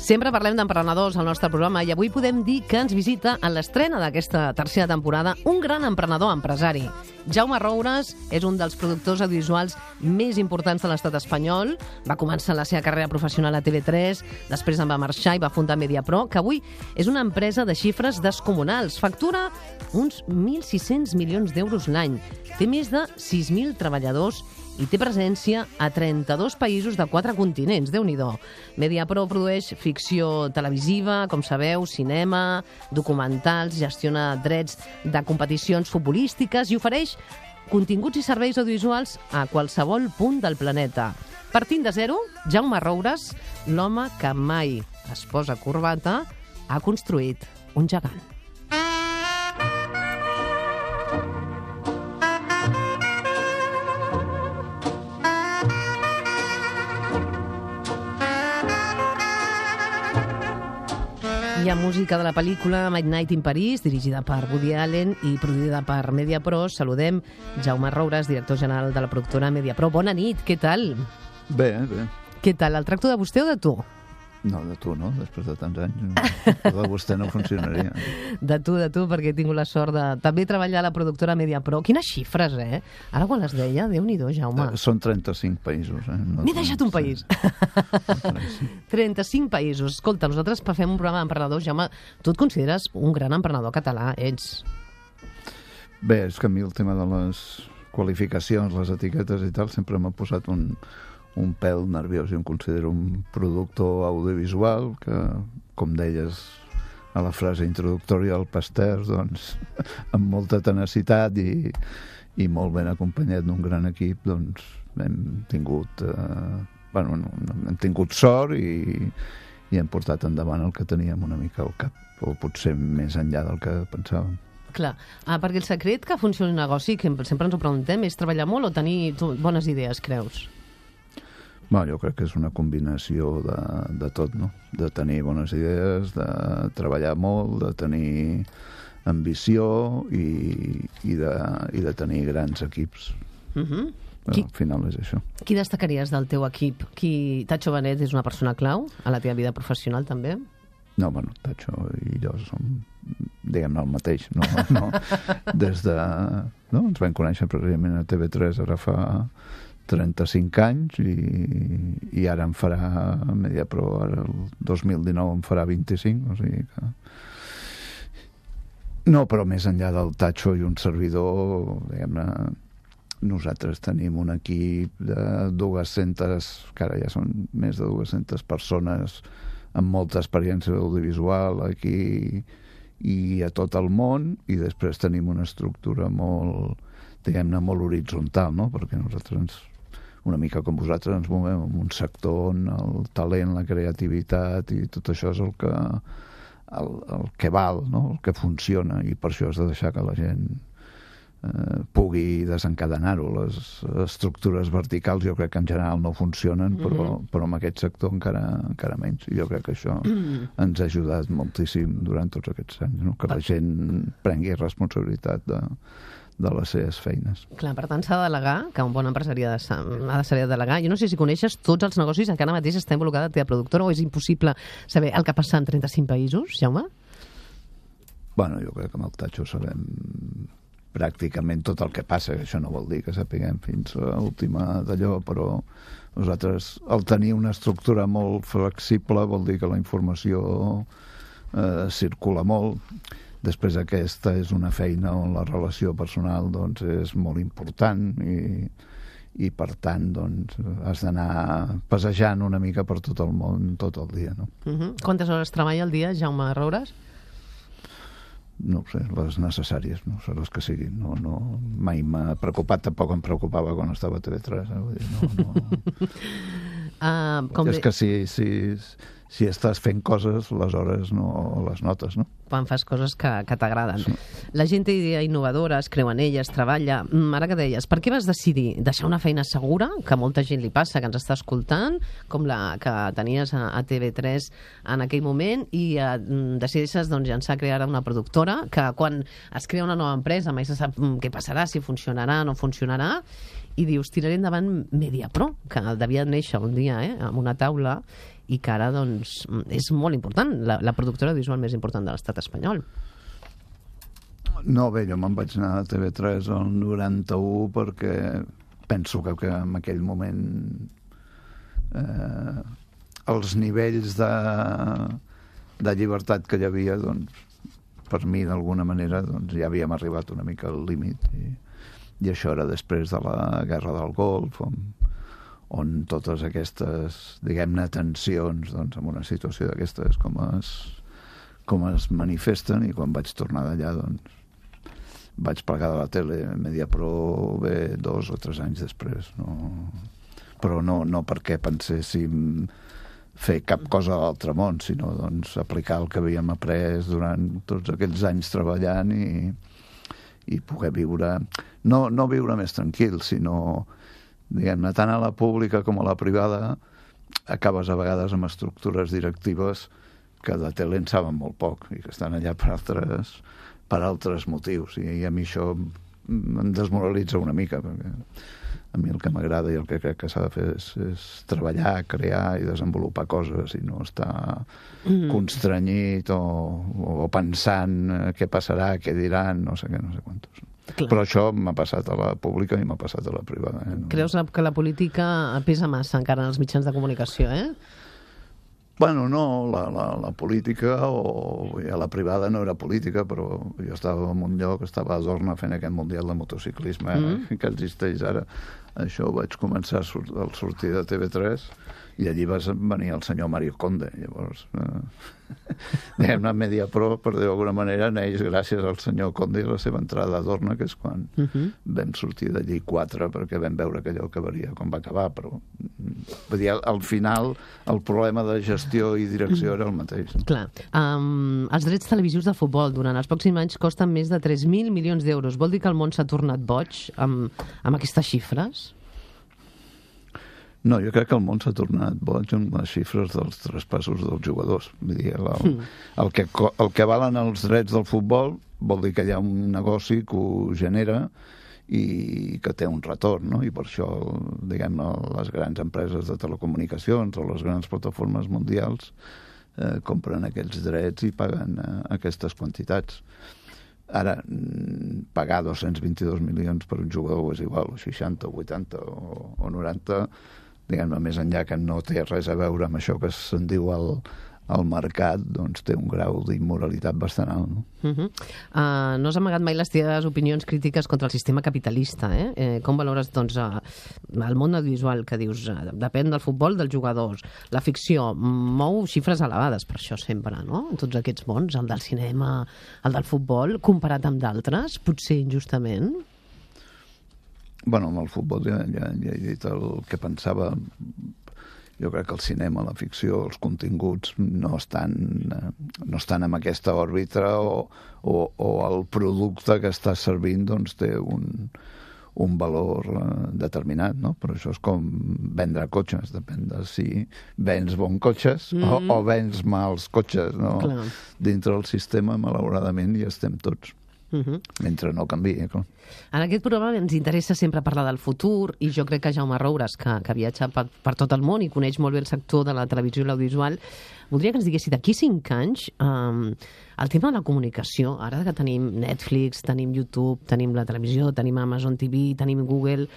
Sempre parlem d'emprenedors al nostre programa i avui podem dir que ens visita a l'estrena d'aquesta tercera temporada un gran emprenedor empresari. Jaume Roures és un dels productors audiovisuals més importants de l'estat espanyol. Va començar la seva carrera professional a TV3, després en va marxar i va fundar Mediapro, que avui és una empresa de xifres descomunals. Factura uns 1.600 milions d'euros l'any. Té més de 6.000 treballadors i té presència a 32 països de 4 continents. Déu-n'hi-do. Mediapro produeix ficció televisiva, com sabeu, cinema, documentals, gestiona drets de competicions futbolístiques i ofereix continguts i serveis audiovisuals a qualsevol punt del planeta. Partint de zero, Jaume Roures, l'home que mai es posa corbata, ha construït un gegant. Hi ha música de la pel·lícula Midnight in Paris, dirigida per Woody Allen i produïda per Mediapro. Saludem Jaume Roures, director general de la productora Mediapro. Bona nit, què tal? Bé, bé. Què tal, el tracto de vostè o de tu? No, de tu, no? Després de tants anys, de vostè no funcionaria. De tu, perquè he tingut la sort de també treballar a la productora Mediapro. Quines xifres, eh? Ara quan les deia, Déu-n'hi-do, Jaume. Són 35 països, eh? M'he deixat un país. 35 països. Escolta, nosaltres fem un programa d'emprenedors. Jaume, tu et consideres un gran emprenedor català, ets? Bé, és que a mi el tema de les qualificacions, les etiquetes i tal, sempre m'ha posat un pèl nerviós. Jo em considero un productor audiovisual que, com deies a la frase introductòria, el pastès, doncs, amb molta tenacitat i molt ben acompanyat d'un gran equip, doncs, hem tingut hem tingut sort i hem portat endavant el que teníem una mica al cap, o potser més enllà del que pensàvem. Clar, perquè el secret que funcioni un negoci, que sempre ens ho preguntem, és treballar molt o tenir bones idees, creus? Jo crec que és una combinació de tot, no? De tenir bones idees, de treballar molt, de tenir ambició i de tenir grans equips. Al final és això. Qui destacaries del teu equip? Tacho Benet és una persona clau a la teva vida professional, també? No, Tacho i jo som, diguem-ne, el mateix. No. Des de... No? Ens vam conèixer precisament a TV3 ara fa 35 anys i ara em farà Mediapro, ara el 2019 em farà 25, o sigui que... No, però més enllà del Tacho i un servidor, diguem-ne, nosaltres tenim un equip de 200, que ara ja són més de 200 persones amb molta experiència audiovisual aquí i a tot el món, i després tenim una estructura molt, diguem-ne, molt horitzontal, no? Perquè nosaltres una mica com vosaltres ens movem en un sector on el talent, la creativitat i tot això és el que val, no? El que funciona, i per això has de deixar que la gent pugui desencadenar-ho. Les estructures verticals jo crec que en general no funcionen, però en aquest sector encara menys. I jo crec que això ens ha ajudat moltíssim durant tots aquests anys, no? Que la gent prengui responsabilitat de les seves feines. Clar, per tant s'ha de delegar, que un bon empresari ha de saber delegar. Jo no sé si coneixes tots els negocis en què ara mateix està involucrada la teva productora, o és impossible saber el que passa en 35 països, Jaume? Jo crec que amb el Tacho sabem pràcticament tot el que passa. Això no vol dir que sapiguem fins a l'última d'allò, però nosaltres, al tenir una estructura molt flexible, vol dir que la informació circula molt. Després aquesta és una feina on la relació personal doncs, és molt important i per tant doncs, has d'anar passejant una mica per tot el món tot el dia. No? Quantes hores treballa al dia, Jaume Roures? No ho sé, les necessàries, no sé les que siguin. Mai m'ha preocupat, tampoc em preocupava quan estava a TV3. És que si estàs fent coses, les hores no les notes, no? Quan fas coses que t'agraden. Sí. La gent té idees innovadores, creu en elles, treballa. Ara que deies, per què vas decidir deixar una feina segura, que a molta gent li passa, que ens està escoltant, com la que tenies a TV3 en aquell moment, i decideixes llançar a crear una productora, que quan es crea una nova empresa mai se sap què passarà, si funcionarà o no funcionarà, i dius, tiraré endavant Mediapro, que devia néixer un dia amb una taula i que ara doncs, és molt important, la productora visual més important de l'estat espanyol. No, bé, jo me'n vaig anar a TV3 el 91 perquè penso que en aquell moment els nivells de llibertat que hi havia, doncs, per mi, d'alguna manera, doncs, ja havíem arribat una mica al límit. I això era després de la Guerra del Golf, on totes aquestes, diguem-ne, tensions, doncs, en una situació d'aquestes com es manifesten, i quan vaig tornar d'allà, doncs, vaig plegar de la tele. Mediapro ve 2 o 3 anys després. Però no perquè penséssim fer cap cosa a l'altre món, sinó doncs, aplicar el que havíem après durant tots aquells anys treballant i poder viure... No viure més tranquil, sinó, diguem-ne, tant a la pública com a la privada, acabes a vegades amb estructures directives que de tele en saben molt poc i que estan allà per altres motius. I a mi això em desmoralitza una mica, perquè a mi el que m'agrada i el que crec que s'ha de fer és treballar, crear i desenvolupar coses i no estar constrenyit o pensant què passarà, què diran, no sé què, no sé quantos. Clar. Però això m'ha passat a la pública i m'ha passat a la privada. Creus que la política pesa massa encara en els mitjans de comunicació, Bueno, no, la política o a la privada no era política, però jo estava en un lloc, estava a Dorna fent aquest mundial de motociclisme que existeix ara. Això ho vaig començar al sortir de TV3 i allí va venir el senyor Mario Conde. Llavors, diguem-ne, Mediapro, per dir-ho d'alguna manera, neix gràcies al senyor Conde i la seva entrada a Dorna, que és quan vam sortir d'allí 4, perquè vam veure que allò acabaria com va acabar, però vull dir, al final el problema de gestió i direcció era el mateix. Clar. Els drets televisius de futbol durant els pròxims anys costen més de 3.000 milions d'euros. Vol dir que el món s'ha tornat boig amb aquestes xifres? No, jo crec que el món s'ha tornat boig amb les xifres dels traspassos dels jugadors. Vull dir, el que valen els drets del futbol vol dir que hi ha un negoci que ho genera i que té un retorn, no? I per això, diguem-ne, les grans empreses de telecomunicacions o les grans plataformes mundials compren aquells drets i paguen aquestes quantitats. Ara, pagar 222 milions per un jugador és igual, o 60, o 80, o 90, diguem-ne, més enllà que no té res a veure amb això que se'n diu al mercat, doncs té un grau d'immoralitat bastant alt, no? No has amagat mai les teves opinions crítiques contra el sistema capitalista, Com valores, doncs, el món audiovisual, que dius, depèn del futbol, dels jugadors. La ficció mou xifres elevades, per això sempre, no? En tots aquests mons, el del cinema, el del futbol, comparat amb d'altres, potser injustament. Bueno, amb el futbol ja he dit el que pensava. Jo crec que el cinema, la ficció, els continguts no estan en aquesta òrbita o el producte que està servint doncs té un valor determinat, no? Però això és com vendre cotxes, depèn de si vens bons cotxes o vens mals cotxes, no? Clar. Dintre del sistema, malauradament, hi estem tots. Mentre no canviï, clar. En aquest programa ens interessa sempre parlar del futur i jo crec que Jaume Roures, que viatja per tot el món i coneix molt bé el sector de la televisió i l'audiovisual, voldria que ens diguessi d'aquí 5 anys el tema de la comunicació, ara que tenim Netflix, tenim YouTube, tenim la televisió, tenim Amazon TV, tenim Google,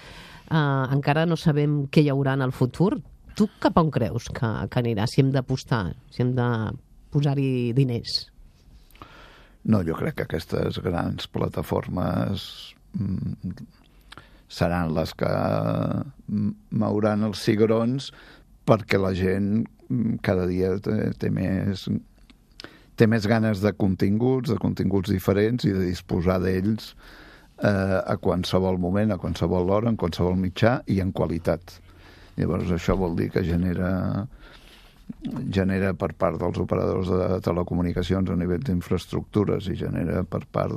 encara no sabem què hi haurà en el futur. Tu cap on creus que anirà, si hem d'apostar, si hem de posar-hi diners? No, jo crec que aquestes grans plataformes seran les que mouran els cigrons perquè la gent cada dia té més ganes de continguts diferents i de disposar d'ells a qualsevol moment, a qualsevol hora, en qualsevol mitjà i en qualitat. Llavors això vol dir que genera per part dels operadors de telecomunicacions a nivell d'infraestructures i genera per part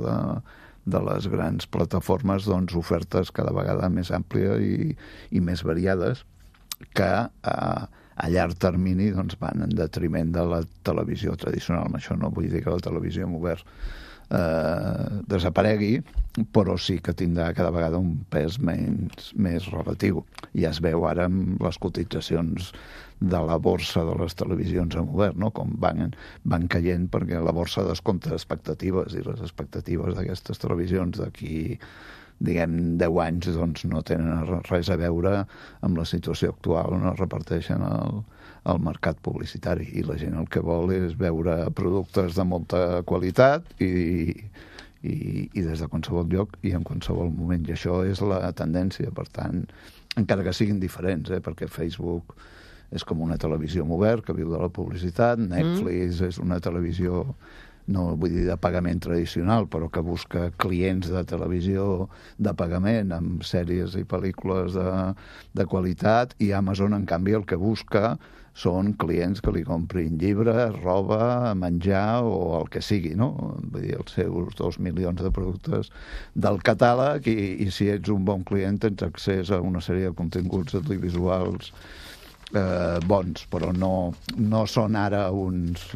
de les grans plataformes doncs, ofertes cada vegada més àmplies i més variades que a llarg termini doncs, van en detriment de la televisió tradicional. Amb això no vull dir que la televisió en obert desaparegui, però sí que tindrà cada vegada un pes més relatiu. Ja es veu ara amb les cotitzacions de la borsa de les televisions en obert, no? Com van caient, perquè la borsa descompta expectatives, i les expectatives d'aquestes televisions d'aquí, diguem, 10 anys, doncs no tenen res a veure amb la situació actual on es reparteixen el mercat publicitari, i la gent el que vol és veure productes de molta qualitat i des de qualsevol lloc i en qualsevol moment, i això és la tendència. Per tant, encara que siguin diferents, perquè Facebook és com una televisió obert que viu de la publicitat, Netflix és una televisió, no vull dir de pagament tradicional, però que busca clients de televisió de pagament amb sèries i pel·lícules de qualitat, i Amazon, en canvi, el que busca són clients que li comprin llibres, roba, menjar o el que sigui, no? Vull dir, els seus 2 milions de productes del catàleg, i si ets un bon client tens accés a una sèrie de continguts audiovisuals bons, però no són ara uns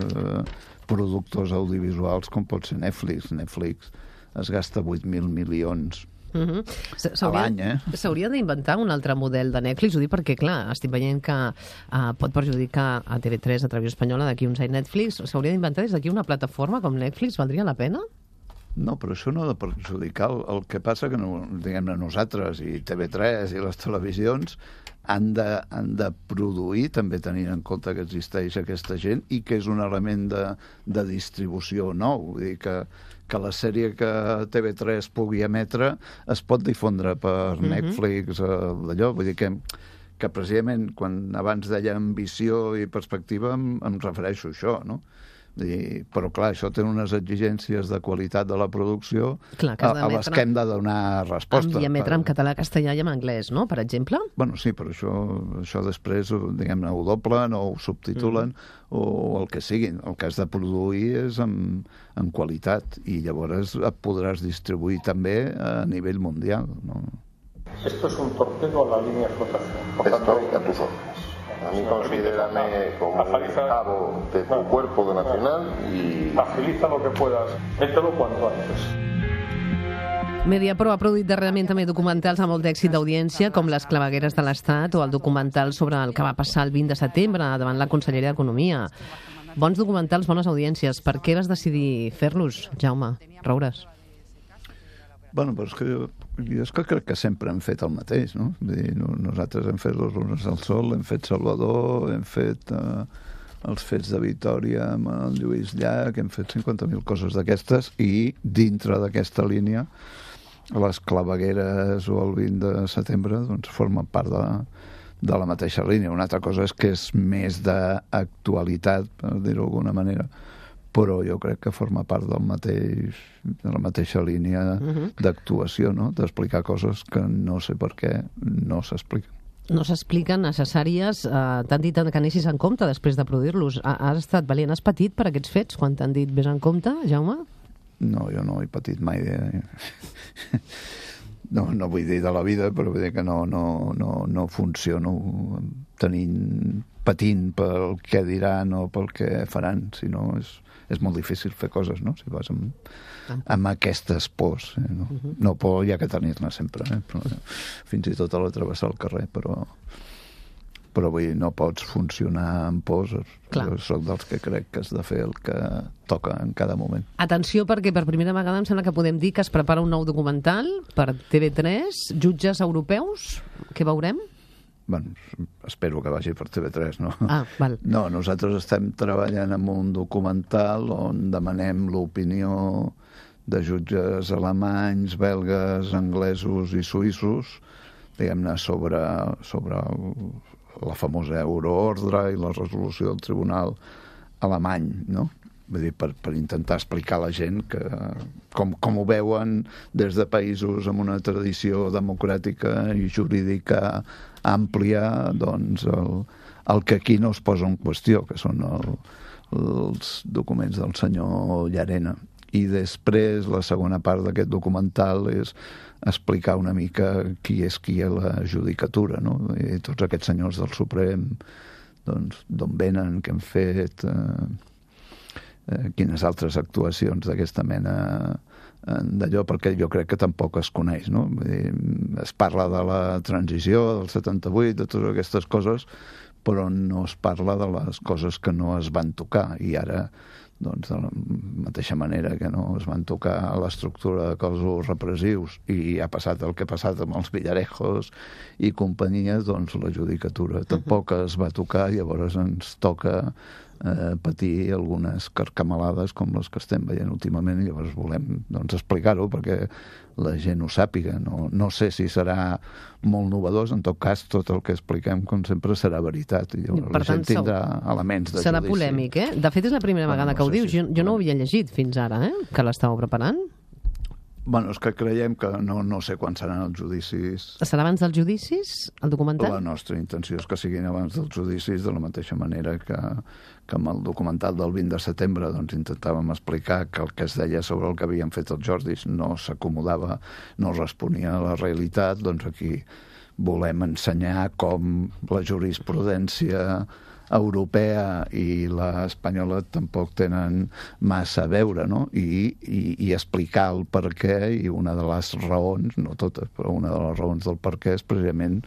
productors audiovisuals com pot ser Netflix. Netflix es gasta 8.000 milions a l'any, S'hauria d'inventar un altre model de Netflix, ho dic perquè, clar, estic veient que pot perjudicar a TV3, a Televisió Espanyola, d'aquí uns anys Netflix. S'hauria d'inventar des d'aquí una plataforma com Netflix? Valdria la pena? No, però això no ha de perjudicar. El que passa que, diguem-ne, nosaltres i TV3 i les televisions han de produir, també tenint en compte que existeix aquesta gent i que és un element de distribució nou. Vull dir que la sèrie que TV3 pugui emetre es pot difondre per Netflix, d'allò. Vull dir que precisament quan abans deia ambició i perspectiva em refereixo a això, no? Però clar, això té unes exigències de qualitat de la producció a les que hem de donar resposta. I emetre en català, castellà i en anglès, no?, per exemple? Bueno, sí, però això després, diguem-ne, ho doblen o ho subtitulen o el que siguin. El que has de produir és en qualitat, i llavors et podràs distribuir també a nivell mundial, no? Esto es un torpedo a la línea de flotación. Por tanto, a tus órdenes. A mí considérame como un cabo de tu cuerpo de nacional y agiliza lo que puedas. Mételo cuanto antes. Mediapro ha produït darrerament també documentals amb molt d'èxit d'audiència, com Les clavegueres de l'Estat o el documental sobre el que va passar el 20 de setembre davant la Conselleria d'Economia. Bons documentals, bones audiències. Per què vas decidir fer-los, Jaume Roures? Bueno, però és que crec que sempre hem fet el mateix, no? Vull dir, nosaltres hem fet Los lunes al sol, hem fet Salvador, hem fet els fets de Vitòria amb el Lluís Llach, hem fet 50.000 coses d'aquestes, i dintre d'aquesta línia les clavegueres o el 20 de setembre doncs formen part de la mateixa línia. Una altra cosa és que és més d'actualitat, per dir-ho d'alguna manera, però jo crec que forma part de la mateixa línia d'actuació, no? D'explicar coses que no sé per què no s'expliquen. No s'expliquen, necessàries. T'han dit que anessis en compte després de produir-los. Has estat valent, has patit per aquests fets quan t'han dit vés en compte, Jaume? No, jo no he patit mai. No vull dir de la vida, però vull dir que no funciono patint pel què diran o pel què faran, sinó és molt difícil fer coses, no?, si vas amb aquestes pors. No por hi ha que tenir-ne sempre, fins i tot a la travessar el carrer, però vull dir, no pots funcionar amb pors. Jo soc dels que crec que has de fer el que toca en cada moment. Atenció, perquè per primera vegada em sembla que podem dir que es prepara un nou documental per TV3, Jutges Europeus, què veurem? Bueno, espero que vagi per TV3, no? Val. No, nosaltres estem treballant en un documental on demanem l'opinió de jutges alemanys, belgues, anglesos i suïssos, diguem-ne, sobre la famosa euroordre i la resolució del tribunal alemany, no? Vull dir, per intentar explicar a la gent com ho veuen des de països amb una tradició democràtica i jurídica àmplia, doncs el que aquí no es posa en qüestió, que són els documents del senyor Llarena. I després la segona part d'aquest documental és explicar una mica qui és qui a la judicatura, no? I tots aquests senyors del Suprem, doncs, d'on venen, què han fet, quines altres actuacions d'aquesta mena d'allò, perquè jo crec que tampoc es coneix, no? Vull dir, es parla de la transició del 78, de totes aquestes coses, però no es parla de les coses que no es van tocar, i ara, doncs, de la mateixa manera que no es van tocar l'estructura de cossos repressius i ha passat el que ha passat amb els Villarejos i companyia, doncs la judicatura tampoc es va tocar, llavors ens toca patir algunes carcamalades com les que estem veient últimament, i llavors volem, doncs, explicar-ho perquè la gent ho sàpiga. No sé si serà molt novedós, en tot cas tot el que expliquem, com sempre, serà veritat, i llavors la gent tindrà elements de judici. Serà polèmic, eh? De fet, és la primera vegada que ho dius. Jo no ho havia llegit fins ara, que l'estàveu preparant. Bueno, és que creiem que no sé quan seran els judicis. Serà abans dels judicis, el documental? La nostra intenció és que siguin abans dels judicis, de la mateixa manera que amb el documental del 20 de setembre doncs intentàvem explicar que el que es deia sobre el que havien fet els Jordis no s'acomodava, no responia a la realitat. Doncs aquí volem ensenyar com la jurisprudència europea i l'espanyola tampoc tenen massa a veure, no? I explicar el per què, i una de les raons, no totes, però una de les raons del per què és precisament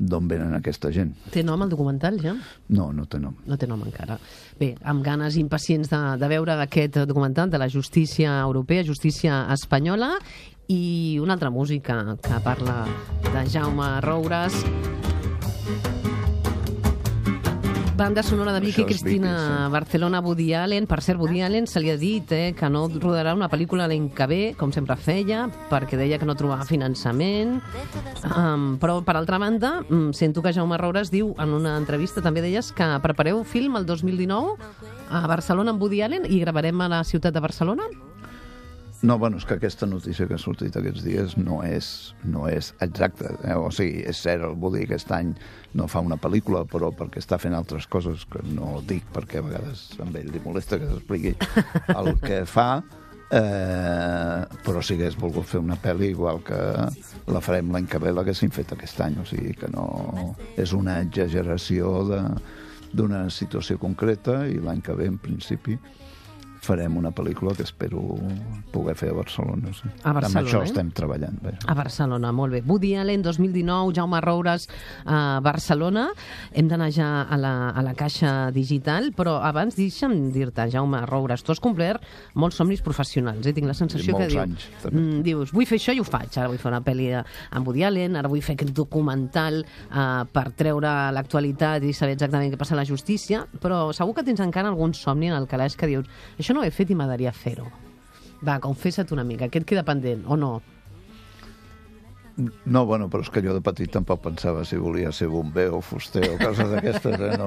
d'on venen aquesta gent. Té nom el documental, ja? No té nom. No té nom encara. Bé, amb ganes impacients de veure aquest documental de la justícia europea, justícia espanyola, i una altra música que parla de Jaume Roures. Banda sonora de Vicky Cristina Barcelona, Woody Allen. Per cert, Woody Allen se li ha dit que no rodarà una pel·lícula l'any que ve, com sempre feia, perquè deia que no trobava finançament. Però, per altra banda, sento que Jaume Roures diu, en una entrevista, també deies que prepareu film el 2019 a Barcelona amb Woody Allen i gravarem a la ciutat de Barcelona? No, bueno, és que aquesta notícia que ha sortit aquests dies no és exacta. O sigui, és cert, el Woody aquest any no fa una pel·lícula, però perquè està fent altres coses que no dic, perquè a vegades a ell li molesta que s'expliqui el que fa, però si hagués volgut fer una pel·li, igual que la farem l'any que ve, l'haguéssim fet aquest any. O sigui que no és una exageració d'una situació concreta, i l'any que ve, en principi, farem una pel·lícula que espero poder fer a Barcelona. Sí. A Barcelona, amb això estem treballant. Bé. A Barcelona, molt bé. Woody Allen, 2019, Jaume Roures a Barcelona. Hem d'anar ja a la caixa digital, però abans deixa'm dir-te, Jaume Roures, tu has complert molts somnis professionals. Tinc la sensació que dius, vull fer això i ho faig. Ara vull fer una pel·li amb Woody Allen, ara vull fer aquest documental per treure l'actualitat i saber exactament què passa a la justícia, però segur que tens encara algun somni en el calaix que dius, això no ho he fet i m'agradaria fer-ho. Va, confessa't una mica, què et queda pendent, o no? No, bueno, però és que jo de petit tampoc pensava si volia ser bomber o fuster o coses d'aquestes,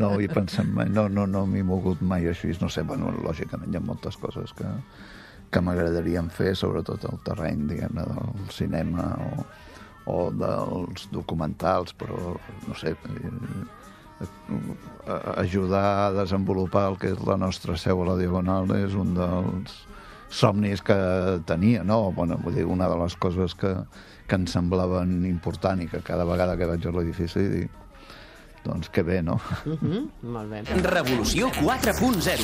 no ho he pensat mai, no m'he mogut mai així, no sé, bueno, lògicament hi ha moltes coses que m'agradarien fer, sobretot el terreny, diguem-ne, del cinema o dels documentals, però, no sé, ajudar a desenvolupar el que és la nostra seu a la Diagonal és un dels somnis que tenia, no? Bueno, vull dir, una de les coses que em semblaven important i que cada vegada que vaig a l'edifici dic, doncs que bé, no? Molt bé. Revolució 4.0.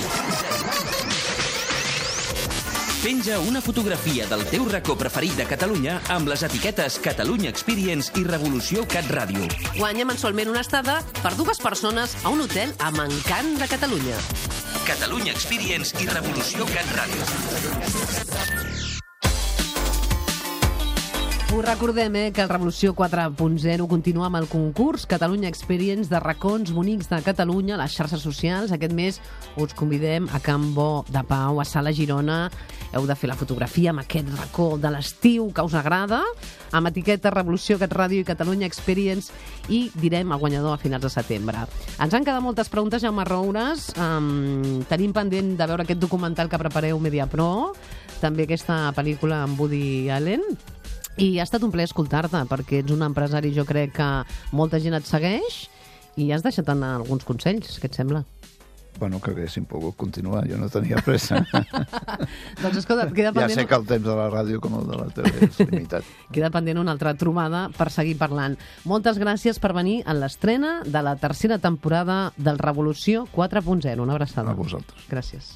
Penja una fotografia del teu racó preferit de Catalunya amb les etiquetes Catalunya Experience i Revolució Cat Ràdio. Guanya mensualment una estada per 2 persones a un hotel amb encant de Catalunya. Catalunya Experience i Revolució Cat Ràdio. Us recordem que el Revolució 4.0 continua amb el concurs Catalunya Experience de racons bonics de Catalunya a les xarxes socials. Aquest mes us convidem a Can Bo de Pau, a Sala Girona. Heu de fer la fotografia amb aquest racó de l'estiu que us agrada, amb etiqueta Revolució Cat Ràdio i Catalunya Experience, i direm el guanyador a finals de setembre. Ens han quedat moltes preguntes, Jaume Roures. Tenim pendent de veure aquest documental que prepareu Mediapro, també aquesta pel·lícula amb Woody Allen. I ha estat un plaer escoltar-te, perquè ets un empresari, jo crec que molta gent et segueix, i has deixat anar alguns consells, què et sembla? Bueno, que haguéssim pogut continuar, jo no tenia pressa. Doncs escolta, queda pendent... Ja sé que el temps de la ràdio com el de la TV és limitat. Queda pendent una altra trobada per seguir parlant. Moltes gràcies per venir en l'estrena de la tercera temporada del Revolució 4.0. Una abraçada. A vosaltres. Gràcies.